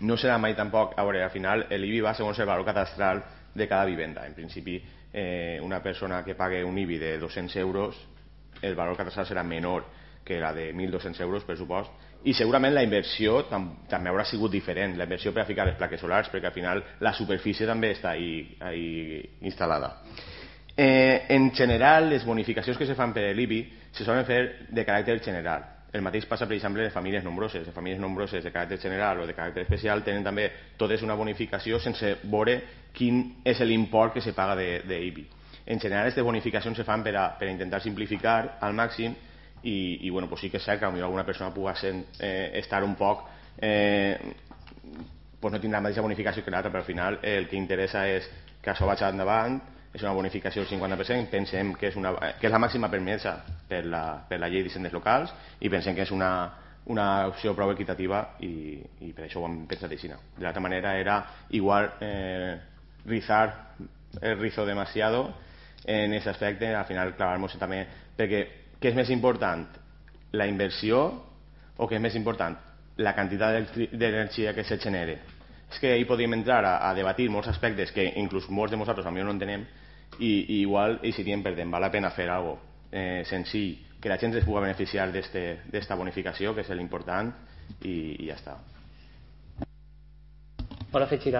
no serà mai tampoc, a veure, al final l'IBI va segons el valor catastral de cada vivenda. En principi, una persona que pague un IBI de 200 euros, el valor catastral serà menor que la de 1.200 euros, pressupost, i segurament la inversió també haurà sigut diferent, la inversió per a ficar les plaques solars, perquè al final la superfície també està ahí instal·lada. En general, les bonificacions que se fan per l'IBI se solen fer de caràcter general. El mateix passa, per exemple, de famílies nombroses. De famílies nombroses de caràcter general o de caràcter especial tenen també totes una bonificació sense veure quin és l'import que se paga d'IBI. En general, aquestes bonificacions se fan per a intentar simplificar al màxim i bueno, pues sí que és cert que potser alguna persona pugui estar un poc pues no tindrà la mateixa bonificació que l'altra, però al final el que interessa és que això vagi endavant. És una bonificació del 50%, pensem que és la màxima permesa per la llei d'hisendes locals i pensem que és una opció prou equitativa i per això ho hem pensat així. De l'altra manera era igual rizar el rizo demasiado en aquest aspecte, al final clavar-nos també, perquè què és més important, la inversió o què és més important, la quantitat d'energia que se genera? És que ahir podríem entrar a debatir molts aspectes que inclús molts de nosaltres potser no entenem i igual eixiríem perdent. Val la pena fer alguna cosa senzill que la gent es pugui beneficiar d'esta bonificació, que és l'important, i ja està. Vol afegir alguna cosa?